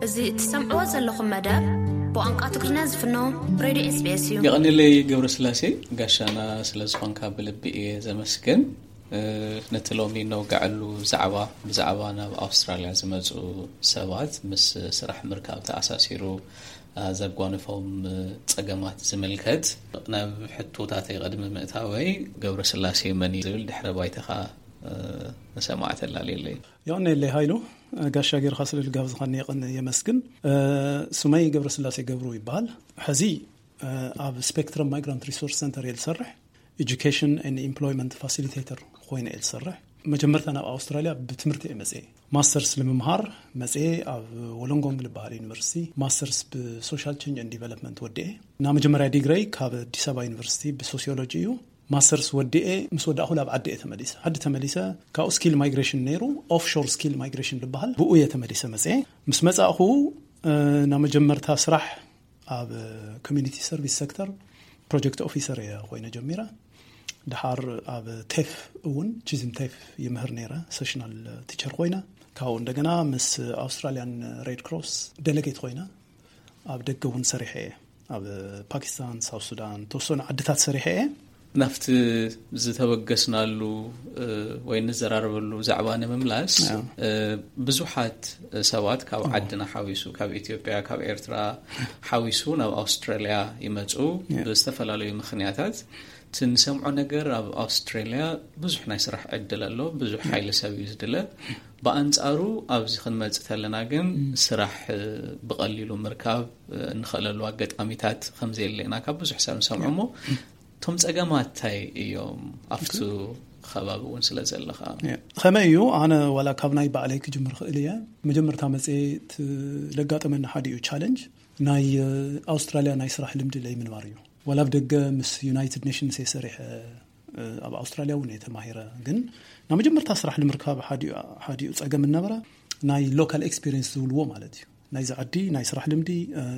እዚ እትሰምዕዎ ዘለኹም መደብ ብቋንቋ ትግርኛ ዝፍኖ ሬድዮ SBS እዩ። የቐንለይ ገብረስላሴ፣ ጋሻና ስለ ዝኾንካ ብልቢ እየ ዘመስግን። ነቲ ሎሚ ነውግዐሉ ዛዕባ፣ ብዛዕባ ናብ ኣውስትራልያ ዝመጹ ሰባት ምስ ስራሕ ምርካብ ተኣሳሲሩ ዘጓንፎም ጸገማት ዝምልከት። ናብ ሕቶታተይ ቅድሚ ምእታወይ፣ ገብረስላሴ መን እዩ ዝብል ድሕረ ባይታኻ ንሰማዕ ተላልየለይ። የቐንየለይ ሃይሉ፣ ጋሻ ጌርኻ ስለ ልጋብዝኻኒ የቐን-፣ የመስግን። ስመይ ገብረስላሴ ገብሩ ይበሃል። ሕዚ ኣብ ስፔክትረም ማይግራንት ሪሶርስ ሰንተር እየ ዝሰርሕ። ኤጁኬሽን ኤንድ ኢምፕሎይመንት ፋሲሊቴተር ኮይነ እየ ዝሰርሕ። መጀመርታ ናብ ኣውስትራልያ ብትምህርቲ እየ መፅኤ። ማስተርስ ንምምሃር መፅኤ ኣብ ወሎንጎንግ ዝበሃል ዩኒቨርሲቲ ማስተርስ ብሶሻል ቼንጅ ኤንድ ዲቨሎፕመንት ወዲኤ። እና መጀመርያ ዲግረይ ካብ ኣዲስ ኣበባ ዩኒቨርሲቲ ብሶሲዮሎጂ እዩ። ማስተርስ ወዲኤ ምስ ወዳእኹ ናብ ዓዲ እየ ተመሊሰ። ዓዲ ተመሊሰ ካብኡ ስኪል ማይግሬሽን ነይሩ፣ ኦፍሾር ስኪል ማይግሬሽን ዝበሃል፣ ብኡ እየ ተመሊሰ መፅኤ። ምስ መፃእኹ ናብ መጀመርታ ስራሕ ኣብ ኮሚኒቲ ሰርቪስ ሴክተር ፕሮጀክት ኦፊሰር እየ ኮይነ ጀሚረ። ድሓር ኣብ ቴፍ እውን፣ ቺዝም ቴፍ ይምህር ነይረ፣ ሴሽናል ቲቸር ኮይነ። ካብኡ እንደገና ምስ ኣውስትራሊያን ሬድ ክሮስ ደለጌት ኮይነ ኣብ ደገ እውን ሰሪሐ እየ። ኣብ ፓኪስታን፣ ሳውት ሱዳን፣ ተወሰኑ ዓድታት ሰሪሐ እየ። ናብቲ ዝተበገስናሉ ወይ ንዘራረበሉ ዛዕባ ንምምላስ፣ ብዙሓት ሰባት ካብ ዓድና ሓዊሱ፣ ካብ ኢትዮጵያ፣ ካብ ኤርትራ ሓዊሱ ናብ ኣውስትራልያ ይመፁ። ብዝተፈላለዩ ምኽንያታት እቲ ንሰምዖ ነገር፣ ኣብ ኣውስትራልያ ብዙሕ ናይ ስራሕ ዕድል ኣሎ፣ ብዙሕ ሓይሊ ሰብ እዩ ዝድለ። ብኣንጻሩ ኣብዚ ክንመጽእ ተለና ግን ስራሕ ብቐሊሉ ምርካብ እንኽእለሉ ኣጋጣሚታት ከም ዘየለ ኢና ካብ ብዙሕ ሰብ ንሰምዖ። እሞ እቶም ጸገማት እንታይ እዮም ኣብቲ ከባቢ እውን ስለ ዘለኻ? ከመይ እዩ? ኣነ ዋላ ካብ ናይ ባዕለይ ክጅምር ክእል እየ። መጀመርታ መጽኤ ለጋጠመኒ ሓዲኡ ቻለንጅ ናይ ኣውስትራልያ ናይ ስራሕ ልምዲ ለይምንባር እዩ። ዋላ ኣብ ደገ ምስ ዩናይትድ ኔሽንስ እየ ሰሪሐ፣ ኣብ ኣውስትራልያ እውን እየ ተማሂረ። ግን ናብ መጀመርታ ስራሕ ንምርካብ ሓዲኡ ጸገም እነበረ ናይ ሎካል ኤክስፒሪየንስ ዝብልዎ ማለት እዩ። ናይዚ ዓዲ ናይ ስራሕ ልምዲ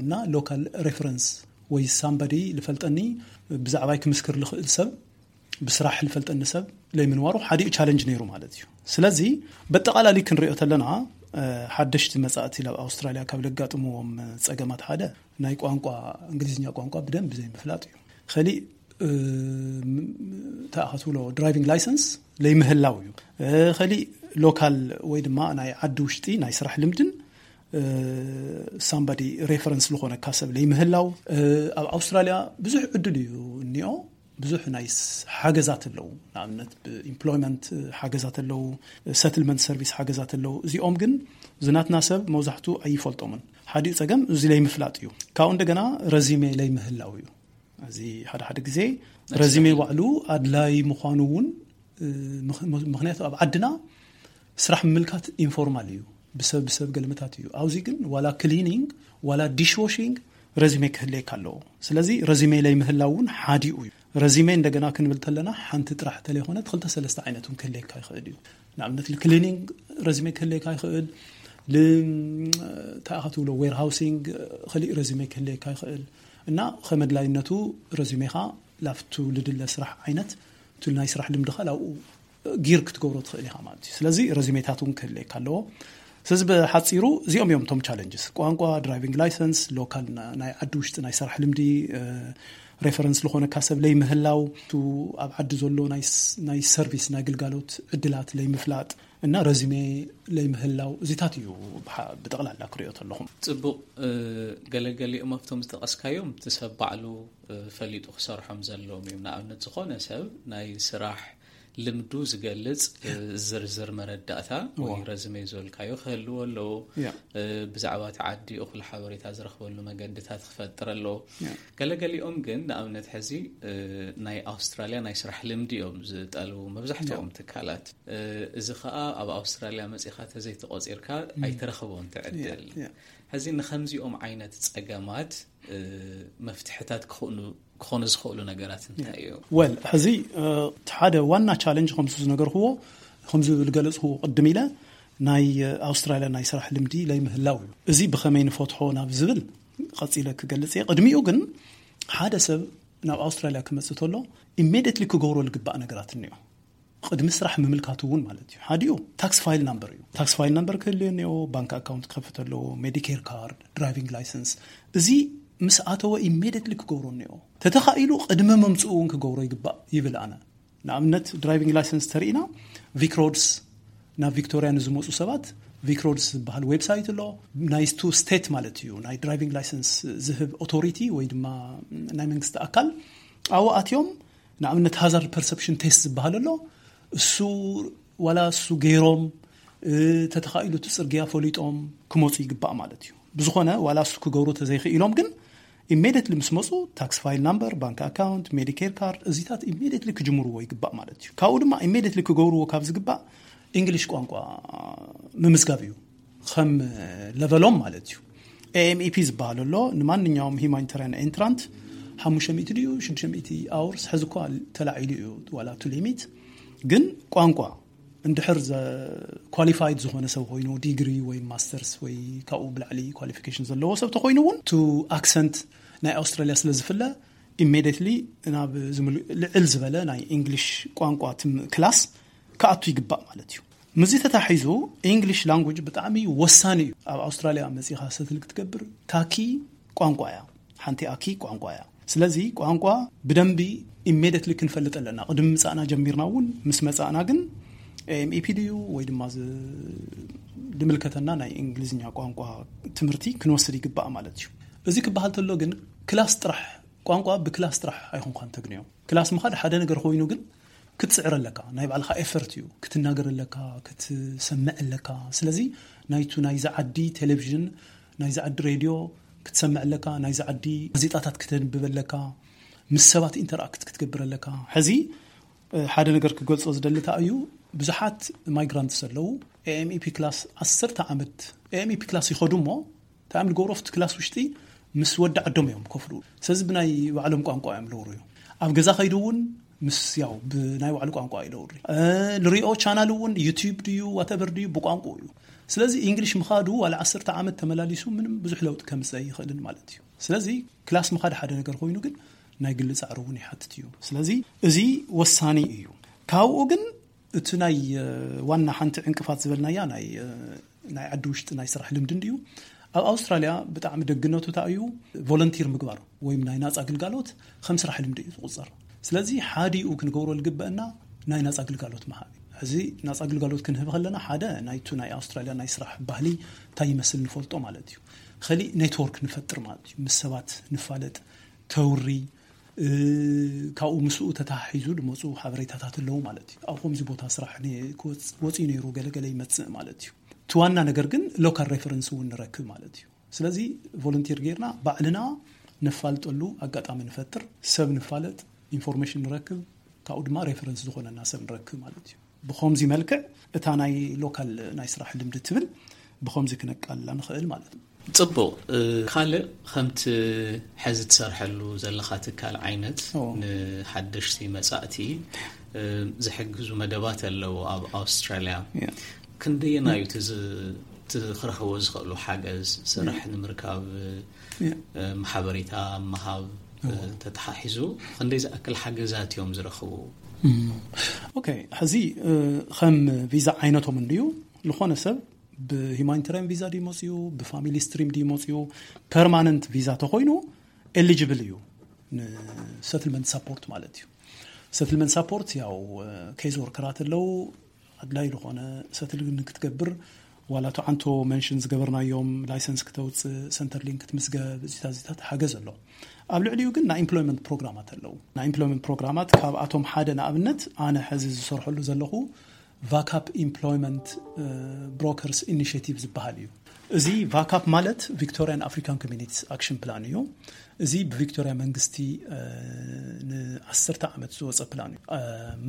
እና ሎካል ሬፈረንስ ወይ ሳምባዲ ልፈልጠኒ፣ ብዛዕባይ ክምስክር ልኽእል ሰብ፣ ብስራሕ ልፈልጠኒ ሰብ ለይምንዋሩ ሓዲኡ ቻለንጅ ነይሩ ማለት እዩ። ስለዚ በጠቓላሊ ክንሪኦ ተለና፣ ሓደሽቲ መጻእቲ ናብ ኣውስትራልያ ካብ ለጋጥምዎም ጸገማት ሓደ ናይ ቋንቋ፣ እንግሊዝኛ ቋንቋ ብደንብ ዘይምፍላጥ እዩ። ከሊእ ተኣኸትብሎ ድራይቪንግ ላይሰንስ ለይምህላው እዩ። ከሊእ ሎካል ወይ ድማ ናይ ዓዲ ውሽጢ ናይ ስራሕ ልምድን ሳምባዲ ሬፈረንስ ዝኾነካ ሰብ ለይምህላው። ኣብ ኣውስትራልያ ብዙሕ ዕድል እዩ እኒኦ። ብዙሕ ናይ ሓገዛት ኣለዉ። ንኣብነት ብኢምፕሎይመንት ሓገዛት ኣለዉ፣ ሰትልመንት ሰርቪስ ሓገዛት ኣለዉ። እዚኦም ግን ዝናትና ሰብ መብዛሕቱ ኣይፈልጦምን። ሓዲኡ ጸገም እዚ ለይምፍላጥ እዩ። ካብኡ እንደገና ረዚሜ ለይምህላው እዩ። እዚ ሓደ ሓደ ግዜ ረዚሜ ባዕሉ ኣድላይ ምዃኑ እውን፣ ምኽንያቱ ኣብ ዓድና ስራሕ ምምልካት ኢንፎርማል እዩ። ብሰብ ብሰብ ገልምታት እዩ። ኣብዚ ግን ዋላ ክሊኒንግ ዋላ ዲሽዎሺንግ ረዚሜ ክህልየካ ኣለዎ። ስለዚ ረዚሜ ለይምህላው እውን ሓዲኡ እዩ። ረዚሜ እንደገና ክንብል ተለና ሓንቲ ጥራሕ ተለይኮነት ክልተ ሰለስተ ዓይነት እውን ክህልየካ ይኽእል እዩ። ንኣብነት ክሊኒንግ ረዚሜ ክህልየካ ይኽእል፣ ተኣኸትብሎ ዌርሃውሲንግ ክሊእ ረዚሜ ክህልየካ ይኽእል። እና ከመድላይነቱ ረዚሜኻ ላፍቱ ልድለ ስራሕ ዓይነት፣ እቲ ናይ ስራሕ ልምድኻ ላብኡ ጊር ክትገብሮ ትኽእል ኢኻ ማለት እዩ። ስለዚ ረዚሜታት እውን ክህልየካ ኣለዎ። ስለዚ ብሓፂሩ እዚኦም እዮም እቶም ቻለንጅስ። ቋንቋ፣ ድራይቪንግ ላይሰንስ፣ ሎካል ናይ ዓዲ ውሽጢ ናይ ስራሕ ልምዲ፣ ሬፈረንስ ዝኾነካ ሰብ ለይምህላው፣ እቲ ኣብ ዓዲ ዘሎ ናይ ሰርቪስ ናይ ግልጋሎት ዕድላት ለይምፍላጥ እና ረዚሜ ለይምህላው፣ እዚታት እዩ ብጠቕላላ ክሪኦ ተለኹም። ፅቡቕ። ገለገሊኦም ኣብቶም ዝጠቐስካዮም እቲ ሰብ ባዕሉ ፈሊጡ ክሰርሖም ዘለዎም እዮም። ንኣብነት ዝኾነ ሰብ ናይ ስራሕ ልምዱ ዝገልጽ ዝርዝር መረዳእታ ወይ ረዝሜ ዝበልካዮ ክህልዎ ኣለዎ። ብዛዕባ እቲ ዓዲ እኹል ሓበሬታ ዝረኽበሉ መገድታት ክፈጥር ኣለዎ። ገለገሊኦም ግን ንኣብነት ሕዚ ናይ ኣውስትራልያ ናይ ስራሕ ልምዲ እዮም ዝጠልቡ መብዛሕትኦም ትካላት። እዚ ኸኣ ኣብ ኣውስትራልያ መጺኻ ተዘይተቖጺርካ ኣይትረኽቦን ትዕድል። ሕዚ ንኸምዚኦም ዓይነት ጸገማት መፍትሕታት ክኾኑ ዝኽእሉ ነገራት እንታይ እዩ? ወል ሕዚ እቲ ሓደ ዋና ቻለንጅ ከምሱ ዝነገርክዎ፣ ከምዚ ዝገለጽክዎ ቅድም ኢለ፣ ናይ ኣውስትራልያ ናይ ስራሕ ልምዲ ለይምህላው እዩ። እዚ ብኸመይ ንፈትሖ ናብ ዝብል ቀጺለ ክገልጽ እየ። ቅድሚኡ ግን ሓደ ሰብ ናብ ኣውስትራልያ ክመጽእ ተሎ ኢሜዲየትሊ ክገብሮ ዝግባእ ነገራት እኒኦ። ቅድሚ ስራሕ ምምልካቱ እውን ማለት እዩ። ሓዲኡ tax file number እዩ። Tax file number ክህልዮ እኒኦ፣ ባንክ ኣካውንት ክኸፍት ኣለዎ፣ ሜዲኬር ካርድ፣ ድራይቪንግ ላይሰንስ። እዚ ምስ ኣተወ ኢሜዲየትሊ ክገብሮ እኒኦ። ተተኻኢሉ ቅድሚ ምምፅኡ እውን ክገብሮ ይግባእ ይብል ኣነ። ንኣብነት ድራይቪንግ ላይሰንስ ተርኢና ቪክሮድስ ናብ ቪክቶሪያ ንዝመፁ ሰባት ቪክሮድስ ዝበሃል ዌብሳይት ኣሎ። ናይ ቱ ስቴት ማለት እዩ፣ ናይ ድራይቪንግ ላይሰንስ ዝህብ ኦቶሪቲ ወይ ድማ ናይ መንግስቲ ኣካል ኣብኡ ኣትዮም ንኣብነት ሃዛርድ ፐርሰፕሽን ቴስት ዝበሃል ኣሎ። እሱ ዋላ እሱ ገይሮም ተተኻኢሉ እቲ ፅርግያ ፈሊጦም ክመፁ ይግባእ ማለት እዩ። ብዝኾነ ዋላ እሱ ክገብሩ ተዘይኽኢሎም ግን ኢሜዲየትሊ ምስ መፁ ታክስ ፋይል ናምበር፣ ባንክ ኣካውንት፣ ሜዲኬር ካርድ እዚታት ኢሜዲየትሊ ክጅምርዎ ይግባእ ማለት እዩ። ካብኡ ድማ ኢሜዲየትሊ ክገብርዎ ካብ ዝግባእ እንግሊሽ ቋንቋ ምምዝጋብ እዩ። ከም ለቨሎም ማለት እዩ። ኤኤምኢፒ ዝበሃል ኣሎ ንማንኛውም ሂማኒታሪያን ኤንትራንት ሓሙሽተ ሚእቲ ድዩ ሽዱሽተ ሚእቲ ኣውርስ ሕዚ እኳ ተላዒሉ እዩ ዋላ ቱ ሊሚት። ግን ቋንቋ እንድሕር ኳሊፋይድ ዝኾነ ሰብ ኮይኑ ዲግሪ ወይ ማስተርስ ወይ ካብኡ ብላዕሊ ኳሊፊኬሽን ዘለዎ ሰብ ተኮይኑ እውን ቱ ኣክሰንት ናይ ኣውስትራሊያ ስለ ዝፍለ ኢሜዲየትሊ ናብ ልዕል ዝበለ ናይ እንግሊሽ ቋንቋ ክላስ ክኣቱ ይግባእ ማለት እዩ። ምስዚ ተታሒዙ እንግሊሽ ላንጉጅ ብጣዕሚ ወሳኒ እዩ። ኣብ ኣውስትራሊያ መፂኻ ሰትል ክትገብር ካኪ ቋንቋ እያ። ሓንቲ ኣኪ ቋንቋ እያ። ስለዚ ቋንቋ ብደንቢ ኢሜዲየትሊ ክንፈልጥ ኣለና። ቅድሚ ምፃእና ጀሚርና እውን ምስ መፃእና ግን ኤምኢፒ ድዩ ወይ ድማ ዝምልከተና ናይ እንግሊዝኛ ቋንቋ ትምህርቲ ክንወስድ ይግባእ ማለት እዩ። እዚ ክበሃል ተሎ ግን ክላስ ጥራሕ ቋንቋ ብክላስ ጥራሕ ኣይኮንኳን ተግንዮ። ክላስ ምኻድ ሓደ ነገር ኮይኑ ግን ክትፅዕር ኣለካ። ናይ ባዕልካ ኤፈርት እዩ። ክትናገር ኣለካ፣ ክትሰምዕ ኣለካ። ስለዚ ናይቱ ናይዚ ዓዲ ቴሌቪዥን፣ ናይዚ ዓዲ ሬድዮ ክትሰምዕ ኣለካ፣ ናይዚ ዓዲ ጋዜጣታት ክተንብብ ኣለካ፣ ምስ ሰባት ኢንተራክት ክትገብር ኣለካ። ሕዚ ሓደ ነገር ክገልፆ ዝደሊ እንታይ እዩ፣ ብዙሓት ማይግራንትስ ኣለዉ ኤኤምኢፒ ክላስ ዓሰርተ ዓመት ኤኤምኢፒ ክላስ ይኸዱ እሞ እንታይ እዮም ዝገብሩ ኣብቲ ክላስ ውሽጢ ምስ ወዲ ዓዶም እዮም ከፍሉ። ስለዚ ብናይ ባዕሎም ቋንቋ እዮም ለውሩ እዩ። ኣብ ገዛ ከይዱ እውን ምስ ያው ብናይ ባዕሉ ቋንቋ እዩ ለውሪ። ልሪኦ ቻናል እውን ዩቲዩብ ድዩ ዋተቨር ድዩ ብቋንቋ እዩ። ስለዚ እንግሊሽ ምኻዱ ዋላ ዓሰርተ ዓመት ተመላሊሱ ምንም ብዙሕ ለውጢ ከምፅእ ኣይኽእልን ማለት እዩ። ስለዚ ክላስ ምኻድ ሓደ ነገር ኮይኑ ግን ናይ ግሊ ፃዕሪ እውን ይሓትት እዩ። ስለዚ እዚ ወሳኒ እዩ። ካብኡ ግን እቲ ናይ ዋና ሓንቲ ዕንቅፋት ዝበልናያ ናይ ናይ ዓዲ ውሽጢ ናይ ስራሕ ልምዲ እንድዩ። ኣብ ኣውስትራሊያ ብጣዕሚ ደግነቱ እንታይ እዩ፣ ቮለንቲር ምግባር ወይም ናይ ናፃ ግልጋሎት ከም ስራሕ ልምዲ እዩ ዝቁፀር። ስለዚ ሓዲኡ ክንገብሮ ዝግበአና ናይ ናፃ ግልጋሎት ምሃብ እዩ። ሕዚ ናፃ ግልጋሎት ክንህብ ከለና ሓደ ናይቱ ናይ ኣውስትራሊያ ናይ ስራሕ ባህሊ እንታይ ይመስል ንፈልጦ ማለት እዩ። ከሊእ ኔትወርክ ንፈጥር ማለት እዩ። ምስ ሰባት ንፋለጥ፣ ተውሪ፣ ካብኡ ምስኡ ተተሓሒዙ ዝመፁ ሓበሬታታት ኣለዉ ማለት እዩ። ኣብ ከምዚ ቦታ ስራሕ ወፂኡ ነይሩ ገለገለ ይመፅእ ማለት እዩ። እቲ ዋና ነገር ግን ሎካል ሬፈረንስ እውን ንረክብ ማለት እዩ። ስለዚ ቮለንቲር ጌርና ባዕልና ነፋልጠሉ ኣጋጣሚ ንፈጥር፣ ሰብ ንፋለጥ፣ ኢንፎርሜሽን ንረክብ፣ ካብኡ ድማ ሬፈረንስ ዝኾነና ሰብ ንረክብ ማለት እዩ። ብኸምዚ መልክዕ እታ ናይ ሎካል ናይ ስራሕ ልምዲ ትብል ብኸምዚ ክነቃልላ ንኽእል ማለት እዩ። ፅቡቕ። ካልእ ከምቲ ሕዚ ትሰርሐሉ ዘለኻ ትካል ዓይነት ንሓደሽቲ መፃእቲ ዝሕግዙ መደባት ኣለዉ ኣብ ኣውስትራሊያ። ክንደየናዩ ክረኽቦ ዝኽእሉ ሓገዝ ስራሕ ንምርካብ ሓበሬታ ምሃብ ተተሓሒዙ ክንደይ ዝኣክል ሓገዛት እዮም ዝረኽቡ? ኦኬ፣ ሕዚ ከም ቪዛ ዓይነቶም እንድዩ ዝኾነ ሰብ ብሂማኒታሪያን ቪዛ ድዩ መፅኡ፣ ብፋሚሊ ስትሪም ድዩ መፅኡ፣ ፐርማነንት ቪዛ ተኮይኑ ኤሊጅብል እዩ ንሰትልመንት ሳፖርት ማለት እዩ። ሰትልመንት ሳፖርት ያው ኬዝ ወርከራት ኣለዉ። ኣድላይ ዝኾነ ሰትል ክትገብር ዋላ ተዓንቶ መንሽን ዝገበርናዮም ላይሰንስ ክተውፅእ፣ ሰንተር ሊንክ ክትምዝገብ፣ እዚታት እዚታት ሓገዝ ኣሎ። ኣብ ልዕሊኡ ግን ናይ ኢምፕሎይመንት ፕሮግራማት ኣለዉ። ናይ ኢምፕሎይመንት ፕሮግራማት ካብኣቶም ሓደ ንኣብነት ኣነ ሕዚ ዝሰርሐሉ ዘለኹ ቫካፕ ኢምፕሎይመንት ብሮከርስ ኢኒሽቲቭ ዝበሃል እዩ። እዚ ቫካፕ ማለት ቪክቶሪያን ኣፍሪካን ኮሚኒቲስ ኣክሽን ፕላን እዩ። እዚ ብቪክቶሪያ መንግስቲ ንዓሰርተ ዓመት ዝወፀ ፕላን እዩ።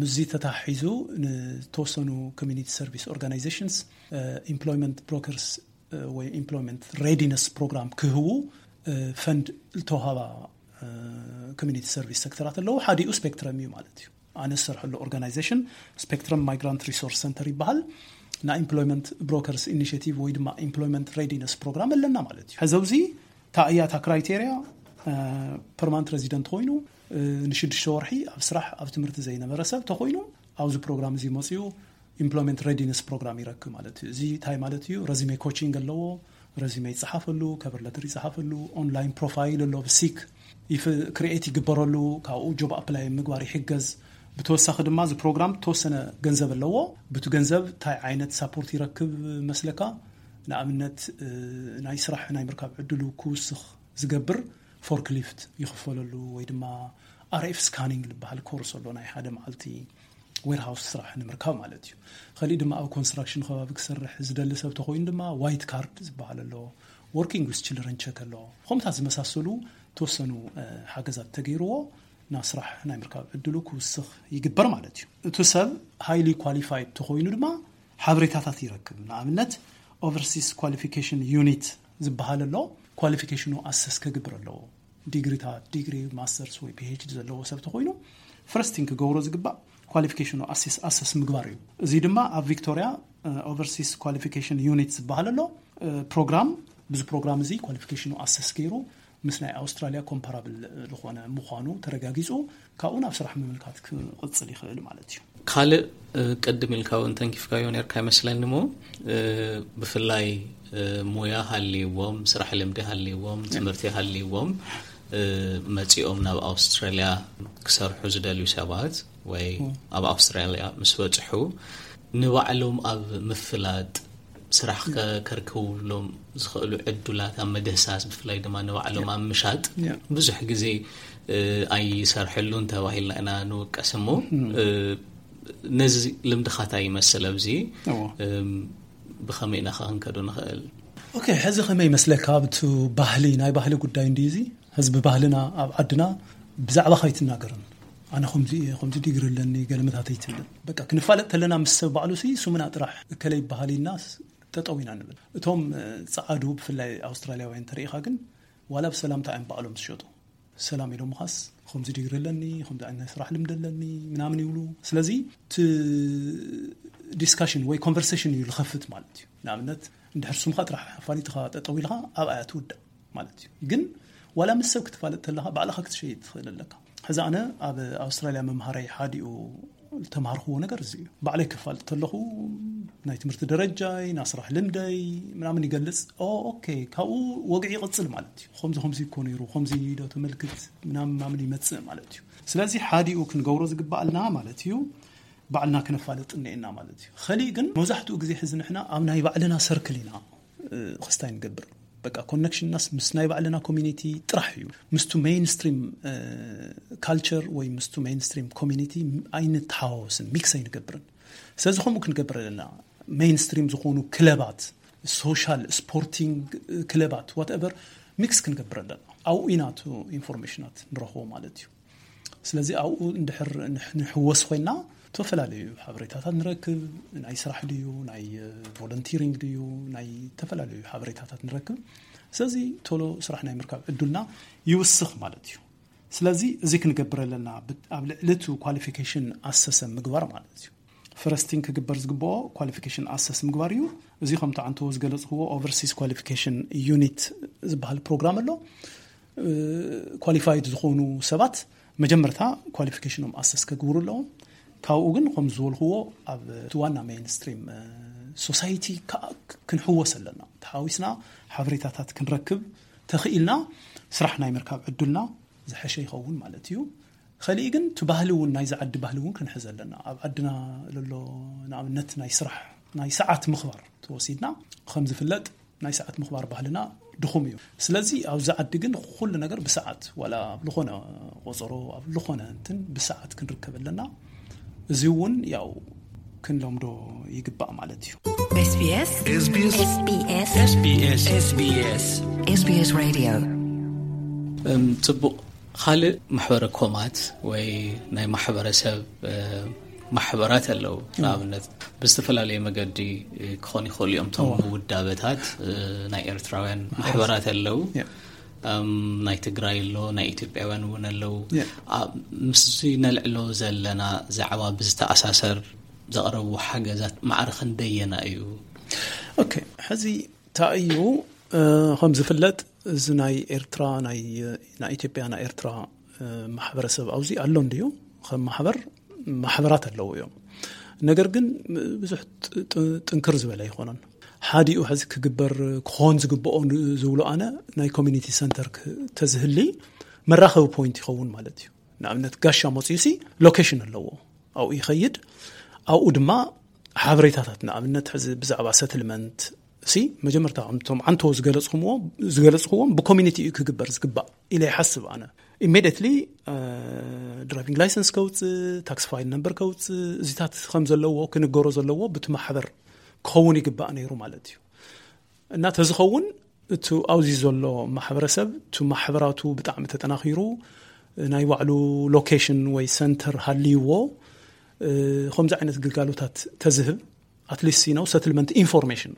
ምስዚ ተታሒዙ ንተወሰኑ ኮሚኒቲ ሰርቪስ ኦርጋናይዜሽንስ ኢምፕሎይመንት ብሮከርስ ወይ ኢምፕሎይመንት ሬዲነስ ፕሮግራም ክህቡ ፈንድ ዝተውሃባ ኮሚኒቲ ሰርቪስ ሴክተራት ኣለዉ። ሓዲኡ ስፔክትረም እዩ ማለት እዩ። ኣነ ዝሰርሐሉ ኦርጋናይዜሽን ስፔክትረም ማይግራንት ሪሶርስ ሰንተር ይበሃል። ናይ ኢምፕሎይመንት ብሮከርስ ኢኒሽቲቭ ወይ ድማ ኢምፕሎይመንት ሬዲነስ ፕሮግራም ኣለና ማለት እዩ። ሕዚ ኣብዚ እታ እያ እታ ክራይቴሪያ፣ ፐርማንት ሬዚደንት ኮይኑ ንሽዱሽተ ወርሒ ኣብ ስራሕ ኣብ ትምህርቲ ዘይነበረ ሰብ ተኮይኑ ኣብዚ ፕሮግራም እዚ መፅኡ ኢምፕሎይመንት ሬዲነስ ፕሮግራም ይረክብ ማለት እዩ። እዚ እንታይ ማለት እዩ? ረዚሜ ኮቺንግ ኣለዎ፣ ረዚሜ ይፀሓፈሉ፣ ከቨር ለተር ይፀሓፈሉ፣ ኦንላይን ፕሮፋይል ኣሎ፣ ብሲክ ክሪኤት ይግበረሉ፣ ካብኡ ጆብ ኣፕላይ ምግባር ይሕገዝ። ብተወሳኺ ድማ እዚ ፕሮግራም ተወሰነ ገንዘብ ኣለዎ። ብቲ ገንዘብ እንታይ ዓይነት ሳፖርት ይረክብ መስለካ? ንኣብነት ናይ ስራሕ ናይ ምርካብ ዕድሉ ክውስኽ ዝገብር ፎርክሊፍት ይኽፈለሉ፣ ወይ ድማ ኣርኤፍ ስካኒንግ ዝበሃል ኮርስ ኣሎ፣ ናይ ሓደ መዓልቲ ዌርሃውስ ስራሕ ንምርካብ ማለት እዩ። ከሊእ ድማ ኣብ ኮንስትራክሽን ከባቢ ክሰርሕ ዝደሊ ሰብ ተኮይኑ ድማ ዋይት ካርድ ዝበሃል ኣሎ፣ ወርኪንግ ዊዝ ችልድረን ቸክ ኣሎ። ከምታት ዝመሳሰሉ ተወሰኑ ሓገዛት ተገይርዎ ናብ ስራሕ ናይ ምርካብ ዕድሉ ክውስኽ ይግበር ማለት እዩ። እቲ ሰብ ሃይሊ ኳሊፋይድ ተኮይኑ ድማ ሓበሬታታት ይረክብ። ንኣብነት ኦቨርሲስ ኳሊፊኬሽን ዩኒት ዝበሃል ኣሎ፣ ኳሊፊኬሽኑ ኣሰስ ከግብር ኣለዎ። ዲግሪታት፣ ዲግሪ፣ ማስተርስ ወይ ፒኤችዲ ዘለዎ ሰብ ተኮይኑ ፈርስቲን ክገብሮ ዝግባእ ኳሊፊኬሽኑ ኣሰስ ምግባር እዩ። እዚ ድማ ኣብ ቪክቶሪያ ኦቨርሲስ ኳሊፊኬሽን ዩኒት ዝበሃል ኣሎ ፕሮግራም። ብዚ ፕሮግራም እዚ ኳሊፊኬሽኑ ኣሰስ ገይሩ ምስ ናይ ኣውስትራሊያ ኮምፓራብል ዝኾነ ምዃኑ ተረጋጊፁ፣ ካብኡ ናብ ስራሕ ምምልካት ክቕፅል ይኽእል ማለት እዩ። ካልእ ቅድም ኢልካ እውን ተንኪፍካዮ ነርካ ይመስለኒ ሞ፣ ብፍላይ ሙያ ሃልዎም፣ ስራሕ ልምዲ ሃልዎም፣ ትምህርቲ ሃልዎም መፂኦም ናብ ኣውስትራሊያ ክሰርሑ ዝደልዩ ሰባት ወይ ኣብ ኣውስትራሊያ ምስ በፅሑ ንባዕሎም ኣብ ምፍላጥ ስራሕ ከርከብሎም ዝኽእሉ ዕዱላት ኣብ መደሳስ፣ ብፍላይ ድማ ንባዕሎም ኣብ ምሻጥ ብዙሕ ግዜ ኣይሰርሕሉን ተባሂልና ኢና ንውቀስ። እሞ ነዚ ልምድኻታ ይመስል ኣብዚ ብኸመይ ኢና ክንከዶ ንኽእል? ኦኬ፣ ሕዚ ከመይ ይመስለካ? ኣብቲ ባህሊ፣ ናይ ባህሊ ጉዳይ እንዲ እዚ ህዝቢ ባህልና ኣብ ዓድና ብዛዕባ ከይትናገርን፣ ኣነ ከምዚ እየ፣ ከምዚ ዲግሪ ኣለኒ፣ ገለመታት ኣይትብልን። በቃ ክንፋለጥ ተለና ምስ ሰብ ባዕሉ ሲ ስሙና ጥራሕ እከለ ይበሃል ኢልና ጠጠው ኢና ንብል። እቶም ጸዓዱ ብፍላይ ኣውስትራሊያውያን ተሪኢኻ ግን ዋላ ብሰላምታ እዮም ባዕሎም ዝሸጡ። ሰላም ኢሎም ምኻስ ከምዚ ዲግሪ ኣለኒ፣ ከምዚ ዓይነት ናይ ስራሕ ልምዲ ኣለኒ ምናምን ይብሉ። ስለዚ እቲ ዲስካሽን ወይ ኮንቨርሴሽን እዩ ዝኸፍት ማለት እዩ። ንኣብነት እንድሕር ስምካ ጥራሕ ኣፋሊጥኻ ጠጠው ኢልካ ኣብኣ እያ ትውዳእ ማለት እዩ። ግን ዋላ ምስ ሰብ ክትፋለጥ ተለኻ ባዕልኻ ክትሸይጥ ትኽእል ኣለካ። ሕዚ ኣነ ኣብ ኣውስትራሊያ መምሃራይ ሓዲኡ ዝተምሃርክዎ ነገር እዚ እዩ። ባዕለይ ክፋልጥ ተለኹ ናይ ትምህርቲ ደረጃይ፣ ናይ ስራሕ ልምደይ ምናምን ይገልጽ። ኦ ኦኬ፣ ካብኡ ወግዒ ይቕጽል ማለት እዩ። ከምዚ ከምዚ እኮ ነይሩ፣ ከምዚ ዶ ተመልክት ምናምን ምናምን ይመጽእ ማለት እዩ። ስለዚ ሓዲኡ ክንገብሮ ዝግባኣልና ማለት እዩ ባዕልና ክነፋልጥ እኒኤና ማለት እዩ። ከሊእ ግን መብዛሕትኡ ግዜ ሕዚ ንሕና ኣብ ናይ ባዕልና ሰርክል ኢና ክስታይ ንገብር። በቃ ኮነክሽንናስ ምስ ናይ ባዕልና ኮሚኒቲ ጥራሕ እዩ። ምስቱ ሜይንስትሪም ካልቸር ወይ ምስቱ ሜይንስትሪም ኮሚኒቲ ኣይንተሓዋወስን፣ ሚክስ ኣይንገብርን። ስለዚ ከምኡ ክንገብር ኣለና። ሜይንስትሪም ዝኾኑ ክለባት፣ ሶሻል ስፖርቲንግ ክለባት ዋትኤቨር ሚክስ ክንገብር ኣለና። ኣብኡ ኢና እቲ ኢንፎርሜሽናት ንረኽቦ ማለት እዩ። ስለዚ ኣብኡ እንድሕር ንሕወስ ኮይና ዝተፈላለዩ ሓበሬታታት ንረክብ። ናይ ስራሕ ድዩ፣ ናይ ቮለንቲሪንግ ድዩ፣ ናይ ዝተፈላለዩ ሓበሬታታት ንረክብ። ስለዚ ቶሎ ስራሕ ናይ ምርካብ ዕዱልና ይውስኽ ማለት እዩ። ስለዚ እዚ ክንገብር ኣለና፣ ኣብ ልዕሊ እቲ ኳሊፊኬሽን ኣሰሰ ምግባር ማለት እዩ። ፈረስቲን ክግበር ዝግብኦ ኳሊፊኬሽን ኣሰስ ምግባር እዩ። እዚ ከምቲ ዓንተዎ ዝገለፅክዎ ኦቨርሲስ ኳሊፊኬሽን ዩኒት ዝበሃል ፕሮግራም ኣሎ። ኳሊፋይድ ዝኾኑ ሰባት መጀመርታ ኳሊፊኬሽኖም ኣሰስ ከግብሩ ኣለዎም። ካብኡ ግን ከም ዝበልክዎ ኣብ እቲ ዋና ሜይንስትሪም ሶሳይቲ ክንሕወስ ኣለና። ተሓዊስና ሓበሬታታት ክንረክብ ተኽኢልና ስራሕ ናይ ምርካብ ዕዱልና ዝሐሸ ይኸውን ማለት እዩ። ከሊእ ግን እቲ ባህሊ እውን ናይዚ ዓዲ ባህሊ እውን ክንሕዝ ኣለና። ኣብ ዓድና ለሎ ንኣብነት ናይ ስራሕ ናይ ሰዓት ምኽባር ተወሲድና ከም ዝፍለጥ ናይ ሰዓት ምኽባር ባህልና ድኹም እዩ። ስለዚ ኣብዚ ዓዲ ግን ኩሉ ነገር ብሰዓት ዋላ ኣብ ዝኾነ ቆፀሮ ኣብ ዝኾነ እንትን ብሰዓት ክንርከብ ኣለና። እዚ እውን ያው ክንለምዶ ይግባእ ማለት እዩ። SBS SBS SBS SBS SBS Radio ጽቡቕ። ካልእ ማሕበረ ኮማት ወይ ናይ ማሕበረሰብ ማሕበራት ኣለዉ። ንኣብነት ብዝተፈላለየ መገዲ ክኾኑ ይኽእሉ እዮም። እቶም ውዳበታት ናይ ኤርትራውያን ማሕበራት ኣለዉ። ናይ ትግራይ ኣሎ፣ ናይ ኢትዮጵያውያን እውን ኣለዉ። ምስዚ ነልዕሎ ዘለና ዛዕባ ብዝተኣሳሰር ዘቕረቡ ሓገዛት ማዕረ ክንደየና እዩ? ኦኬ፣ ሕዚ እንታይ እዩ? ከም ዝፍለጥ እዚ ናይ ኤርትራ ናይ ኢትዮጵያ ናይ ኤርትራ ማሕበረሰብ ኣብዚ ኣሎ እንድዩ። ከም ማሕበር ማሕበራት ኣለዉ እዮም። ነገር ግን ብዙሕ ጥንክር ዝበለ ኣይኮነን። ሓዲኡ ሕዚ ክግበር ክኾን ዝግብኦ ዝብሎ ኣነ ናይ ኮሚኒቲ ሰንተር ተዝህሊ መራኸቢ ፖይንት ይኸውን ማለት እዩ። ንኣብነት ጋሻ መፅዩ ሲ ሎኬሽን ኣለዎ፣ ኣብኡ ይኸይድ። ኣብኡ ድማ ሓበሬታታት ንኣብነት ሕዚ ብዛዕባ ሰትልመንት ሲ መጀመርታ ከምቶም ዓንቶ ዝገለፅኹምዎ ዝገለፅኹዎም ብኮሚኒቲ እዩ ክግበር ዝግባእ ኢለ ይሓስብ ኣነ። ኢሜዲየትሊ ድራይቪንግ ላይሰንስ ከውፅእ፣ ታክስ ፋይል ነምበር ከውፅእ፣ እዚታት ከም ዘለዎ ክንገሮ ዘለዎ ብቲ ማሕበር ክኸውን ይግባእ ነይሩ ማለት እዩ። እና ተዝኸውን እቲ ኣብዚ ዘሎ ማሕበረሰብ እቲ ማሕበራቱ ብጣዕሚ ተጠናኺሩ ናይ ባዕሉ ሎኬሽን ወይ ሰንተር ሃልይዎ ከምዚ ዓይነት ግልጋሎታት ተዝህብ ኣትሊስት ነው ሰትልመንት ኢንፎርሜሽን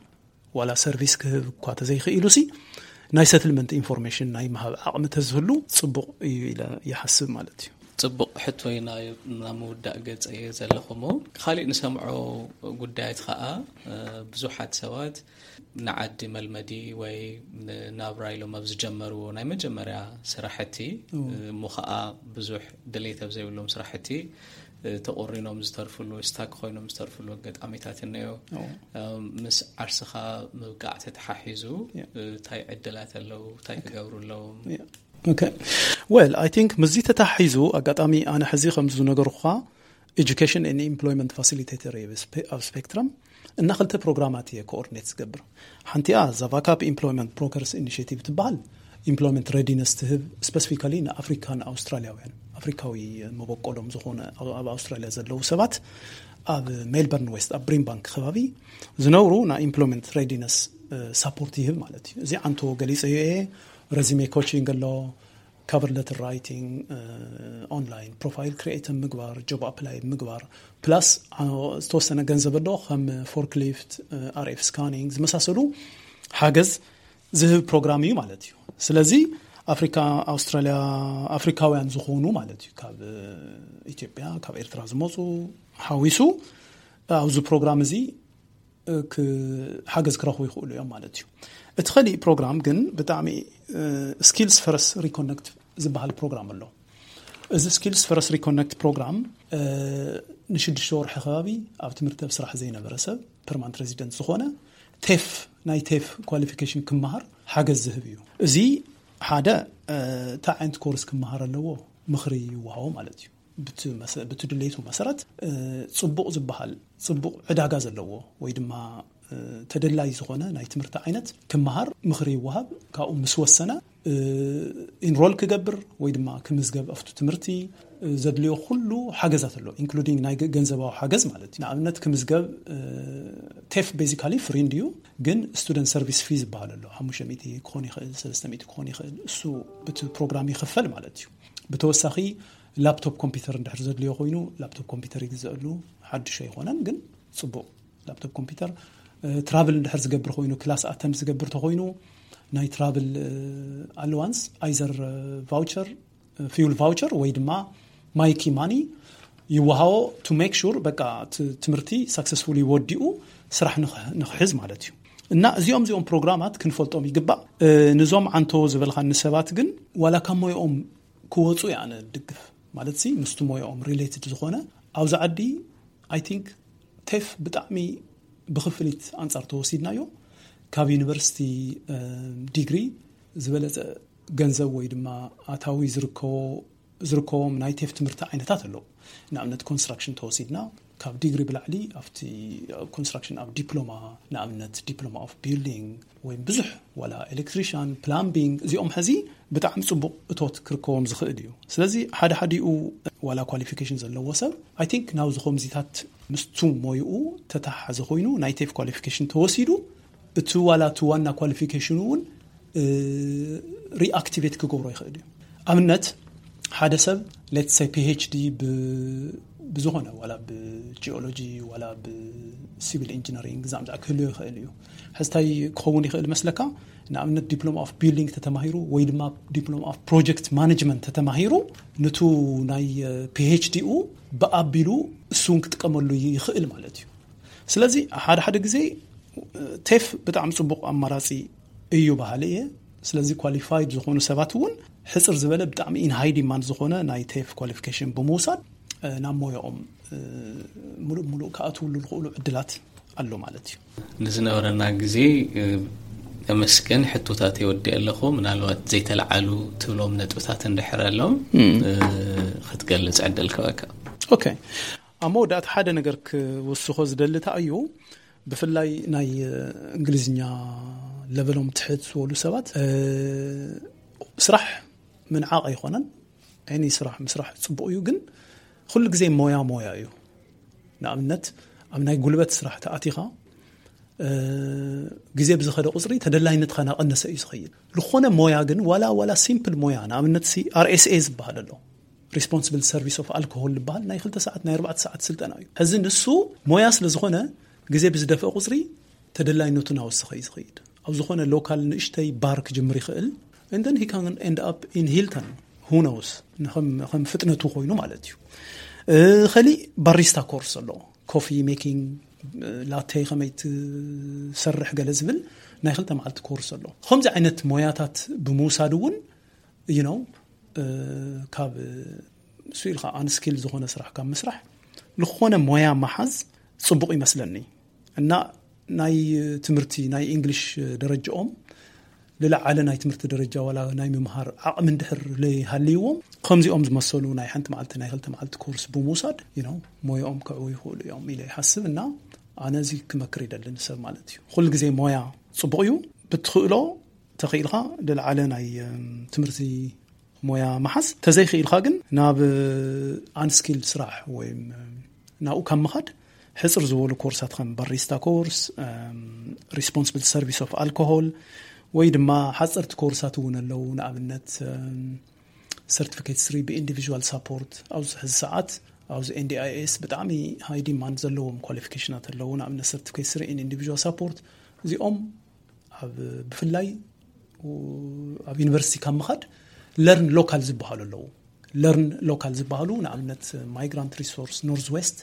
ዋላ ሰርቪስ ክህብ እኳ ተዘይክኢሉ ሲ ናይ ሰትልመንት ኢንፎርሜሽን ናይ ምሃብ ዓቕሚ ተዝህሉ ፅቡቕ እዩ ኢለ ይሓስብ ማለት እዩ። ፅቡቕ ሕቶ ኢና ናብ ምውዳእ ገፀ እየ ዘለኹሞ። ካሊእ ንሰምዖ ጉዳያት ከዓ ብዙሓት ሰባት ንዓዲ መልመዲ ወይ ንናብራ ኢሎም ኣብ ዝጀመርዎ ናይ መጀመርያ ስራሕቲ እሞ ከዓ ብዙሕ ድሌት ኣብ ዘይብሎም ስራሕቲ ተቆሪኖም ዝተርፍሉ ስታክ ኮይኖም ዝተርፍሉ ኣጋጣሚታት እነዮ። ምስ ዓርስኻ ምብቃዕ ተተሓሒዙ እንታይ ዕድላት ኣለዉ? እንታይ ክገብሩ ኣለዎም? ወል ኣይ ቲንክ ምስዚ ተተሓሒዙ ኣጋጣሚ ኣነ ሕዚ ከምዚ ዝነገርኩኻ ኤጁኬሽን ን ኢምፕሎይመንት ፋሲሊቴተር ኣብ ስፔክትረም እና ክልተ ፕሮግራማት እየ ኮኦርዲኔት ዝገብር። ሓንቲኣ ዛቫካፕ ኢምፕሎይመንት ብሮከርስ ኢኒሽቲቭ ትበሃል። ኢምፕሎይመንት ሬዲነስ ትህብ ስፐሲፊካሊ ንኣፍሪካን ኣውስትራሊያውያን ኣፍሪካዊ መበቆሎም ዝኾነ ኣብ ኣውስትራሊያ ዘለዉ ሰባት ኣብ ሜልበርን ዌስት ኣብ ብሪምባንክ ከባቢ ዝነብሩ ናይ ኢምፕሎይመንት ሬዲነስ ሳፖርት ይህብ ማለት እዩ። እዚ ዓንቶ ገሊፀ እየ። ረዚሜ ኮቺንግ ኣሎ፣ ካቨር ለተር ራይቲንግ፣ ኦንላይን ፕሮፋይል ክሪኤት ምግባር፣ ጆብ ኣፕላይ ምግባር ፕላስ ዝተወሰነ ገንዘብ ኣሎ ከም ፎርክሊፍት፣ ኣርኤፍ ስካኒንግ ዝመሳሰሉ ሓገዝ ዝህብ ፕሮግራም እዩ ማለት እዩ። ስለዚ ኣፍሪካ ኣውስትራሊያ ኣፍሪካውያን ዝኾኑ ማለት እዩ ካብ ኢትዮጵያ ካብ ኤርትራ ዝመፁ ሓዊሱ ኣብዚ ፕሮግራም እዚ ሓገዝ ክረኽቡ ይኽእሉ እዮም ማለት እዩ። እቲ ኸሊእ ፕሮግራም ግን ብጣዕሚ ስኪልስ ፈረስ ሪኮነክት ዝበሃል ፕሮግራም ኣሎ። እዚ ስኪልስ ፈረስ ሪኮነክት ፕሮግራም ንሽዱሽተ ወርሒ ከባቢ ኣብ ትምህርቲ ኣብ ስራሕ ዘይነበረ ሰብ ፐርማንት ሬዚደንት ዝኾነ ቴፍ ናይ ቴፍ ኳሊፊኬሽን ክመሃር ሓገዝ ዝህብ እዩ። እዚ ሓደ እንታይ ዓይነት ኮርስ ክመሃር ኣለዎ ምኽሪ ይወሃቦ ማለት እዩ። ብቲ ድሌቱ መሰረት ፅቡቕ ዝበሃል ፅቡቕ ዕዳጋ ዘለዎ ወይ ድማ ተደላይ ዝኾነ ናይ ትምህርቲ ዓይነት ክመሃር ምኽሪ ይወሃብ። ካብኡ ምስ ወሰነ ኢንሮል ክገብር ወይ ድማ ክምዝገብ ኣብቲ ትምህርቲ ዘድልዮ ኩሉ ሓገዛት ኣሎ ኢንክሉዲንግ ናይ ገንዘባዊ ሓገዝ ማለት እዩ። ንኣብነት ክምዝገብ ቴፍ ቤዚካሊ ፍሪ እንድዩ፣ ግን ስቱደንት ሰርቪስ ፊ ዝበሃል ኣሎ ሓሙሽተ ሚእቲ ክኾን ይኽእል ሰለስተ ሚእቲ ክኾን ይኽእል እሱ ብቲ ፕሮግራም ይኽፈል ማለት እዩ። ብተወሳኺ ላፕቶፕ ኮምፒውተር እንድሕር ዘድልዮ ኮይኑ ላፕቶፕ ኮምፒውተር ይግዘአሉ። ሓድሽ ኣይኮነን ግን ፅቡቕ ላፕቶፕ ኮምፒውተር። ትራቭል እንድሕር ዝገብር ኮይኑ ክላስ ኣተንድ ዝገብር ተኮይኑ ናይ ትራቭል ኣለዋንስ ኣይዘር ቫውቸር ፊውል ቫውቸር ወይ ድማ ማይኪ ማኒ ይወሃቦ ቱ ሜክ ሹር በቃ ትምህርቲ ሳክሰስፉሊ ወዲኡ ስራሕ ንክሕዝ ማለት እዩ። እና እዚኦም እዚኦም ፕሮግራማት ክንፈልጦም ይግባእ። ንዞም ዓንቶ ዝበልካኒ ሰባት ግን ዋላ ካብ ሞይኦም ክወፁ እየ ኣነ ድግፍ ማለት ሲ ምስቲ ሞይኦም ሪሌትድ ዝኾነ ኣብዚ ዓዲ ኣይ ቲንክ ቴፍ ብጣዕሚ ብክፍሊት ኣንጻር ተወሲድናዮ ካብ ዩኒቨርሲቲ ዲግሪ ዝበለፀ ገንዘብ ወይ ድማ ኣታዊ ዝርከቦም ናይ ቴፍ ትምህርቲ ዓይነታት ኣለዉ። ንኣብነት ኮንስትራክሽን ተወሲድና ካብ ዲግሪ ብላዕሊ ኣብቲ ኮንስትራክሽን ኣብ ዲፕሎማ ንኣብነት ዲፕሎማ ኦፍ ቢልዲንግ ወይ ብዙሕ ዋላ ኤሌክትሪሽን ፕላምቢንግ እዚኦም ሕዚ ብጣዕሚ ፅቡቕ እቶት ክርከቦም ዝኽእል እዩ። ስለዚ ሓደ ሓዲኡ ዋላ ኳሊፊኬሽን ዘለዎ ሰብ ኣይ ቲንክ ናብዚ ከምዚታት ምስቱ ሞይኡ ተተሓሓዘ ኮይኑ ናይ ቴፍ ኳሊፊኬሽን ተወሲዱ እቲ ዋላ እቲ ዋና ኳሊፊኬሽኑ እውን ሪኣክቲቬት ክገብሮ ይኽእል እዩ። ኣብነት ሓደ ሰብ ሌትስ ፒኤችዲ ብዝኾነ ዋላ ብጂኦሎጂ ዋላ ብሲቪል ኢንጂነሪንግ ዛምዛዕ ክህልዮ ይኽእል እዩ። ሕዝታይ ክኸውን ይኽእል መስለካ ንኣብነት ዲፕሎማ ኦፍ ቢልዲንግ ተተማሂሩ ወይ ድማ ዲፕሎማ ኦፍ ፕሮጀክት ማኔጅመንት ተተማሂሩ ንቱ ናይ ፒኤችዲኡ ብኣቢሉ እሱን ክጥቀመሉ ይኽእል ማለት እዩ። ስለዚ ሓደ ሓደ ግዜ ቴፍ ብጣዕሚ ፅቡቕ ኣማራፂ እዩ በሃሊ እየ። ስለዚ ኳሊፋይድ ዝኾኑ ሰባት እውን ሕፅር ዝበለ ብጣዕሚ ኢን ሃይ ዲማንድ ዝኾነ ናይ ቴፍ ኳሊፊኬሽን ብምውሳድ ናብ ሞያኦም ሙሉእ ሙሉእ ክኣትውሉ ዝኽእሉ ዕድላት ኣሎ ማለት እዩ። ንዝነበረና ግዜ የመስገን። ሕቶታት የወዲ ኣለኹ። ምናልባት ዘይተለዓሉ ትብሎም ነጥብታት እንድሕር ኣሎም ክትገልጽ ዕድል ክበካ። ኦኬ፣ ኣብ መወዳእታ ሓደ ነገር ክውስኾ ዝደልታ እዩ። ብፍላይ ናይ እንግሊዝኛ ለበሎም ትሕት ዝበሉ ሰባት ስራሕ ምንዓቕ ኣይኮነን። ዓይኒ ስራሕ ምስራሕ ጽቡቕ እዩ፣ ግን ኩሉ ግዜ ሞያ ሞያ እዩ። ንኣብነት ኣብ ናይ ጉልበት ስራሕ ተኣቲኻ ግዜ ብዝኸደ ቁፅሪ ተደላይነትካ ናቐነሰ እዩ ዝኸይድ። ዝኾነ ሞያ ግን ዋላ ዋላ ሲምፕል ሞያ ንኣብነት RSA ዝበሃል ኣሎ፣ responsible service of alcohol ዝበሃል ናይ ክልተ ሰዓት ናይ ኣርባዕተ ሰዓት ስልጠና እዩ። ሕዚ ንሱ ሞያ ስለ ዝኾነ ግዜ ብዝደፍአ ቁፅሪ ተደላይነቱ ናወሰኸ እዩ ዝኸይድ። ኣብ ዝኾነ ሎካል ንእሽተይ ባር ክጅምር ይኽእል፣ and then he can end up in Hilton, who knows፣ ከም ፍጥነቱ ኮይኑ ማለት እዩ። ከሊእ ባሪስታ ኮርስ ኣሎ፣ ኮፊ ሜኪንግ፣ ላቴ ከመይ ትሰርሕ ገለ ዝብል ናይ ክልተ መዓልቲ ኮርስ ኣሎ። ከምዚ ዓይነት ሞያታት ብምውሳድ እውን you know ካብ ስኢልካ ኣንስኪል ዝኾነ ስራሕ ካብ ምስራሕ ዝኾነ ሞያ መሓዝ ጽቡቕ ይመስለኒ። እና ናይ ትምህርቲ ናይ እንግሊሽ ደረጃኦም ልለዓለ ናይ ትምህርቲ ደረጃ ዋላ ናይ ምምሃር ዓቕሚ እንድሕር ለይሃልይዎም ከምዚኦም ዝመሰሉ ናይ ሓንቲ መዓልቲ ናይ ክልተ መዓልቲ ኮርስ ብምውሳድ you know ሞያኦም ክዕው ይኽእሉ እዮም ኢለ ይሓስብ። እና ኣነ እዚ ክመክር ይደሊ ንሰብ ማለት እዩ። ኩሉ ግዜ ሞያ ጽቡቕ እዩ። ብትኽእሎ ተኽኢልካ ልለዓለ ናይ ትምህርቲ ሞያ መሓዝ፣ ተዘይክኢልካ ግን ናብ ኣንስኪል ስራሕ ወይ ናብኡ ካብ ምኻድ ሕፅር ዝበሉ ኮርሳት ከም ባሪስታ ኮርስ፣ responsible service of alcohol ወይ ድማ ሓፀርቲ ኮርሳት እውን ኣለዉ። ንኣብነት certificate three ብኢንዲቪዥዋል ሳፖርት ኣብዚ ሕዚ ሰዓት ኣብዚ NDIS ብጣዕሚ ሃይ ዲማንድ ዘለዎም ኳሊፊኬሽናት ኣለዉ። ንኣብነት certificate three in individual support እዚኦም ኣብ ብፍላይ ኣብ ዩኒቨርሲቲ ካብ ምኻድ ለርን ሎካል ዝበሃሉ ኣለዉ። ለርን ሎካል ዝበሃሉ ንኣብነት ማይግራንት ሪሶርስ ኖርዝ ዌስት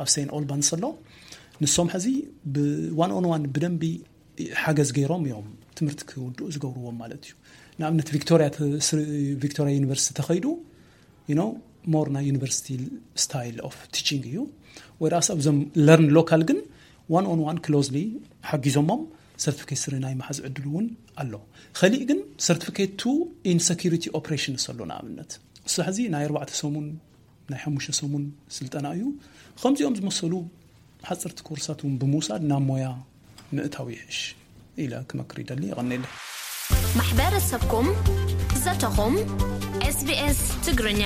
ኣብ ሴን ኦልባንስ ኣሎ። ንሶም ሕዚ ብዋን ኦን ዋን ብደንቢ ሓገዝ ገይሮም እዮም ትምህርቲ ክውድኡ ዝገብርዎም ማለት እዩ። ንኣብነት ቪክቶሪያ ተ- ስር- ቪክቶሪያ ዩኒቨርሲቲ ተኸይዱ you know more ናይ ዩኒቨርሲቲ style of teaching እዩ። ወይራስ ኣብዞም ለርን ሎካል ግን ዋን ኦን ዋን ክሎዝሊ ሓጊዞሞም ሰርቲፊኬት ስሪ ናይ መሓዝ ዕድል እውን ኣሎ። ከሊእ ግን ሰርቲፊኬት ቱ ኢን ሰኪሪቲ ኦፕሬሽንስ ኣሎ። ንኣብነት እሱ ሕዚ ናይ ኣርባዕተ ሰሙን ናይ ሓሙሽተ ሰሙን ስልጠና እዩ። ከምዚኦም ዝመሰሉ ሓፀርቲ ኮርሳት እውን ብምውሳድ ናብ ሞያ ምእታው ይሕሽ ኢለ ክመክር ይደሊ። የቐኔለ። ማሕበረሰብኩም ዘተኹም SBS ትግርኛ።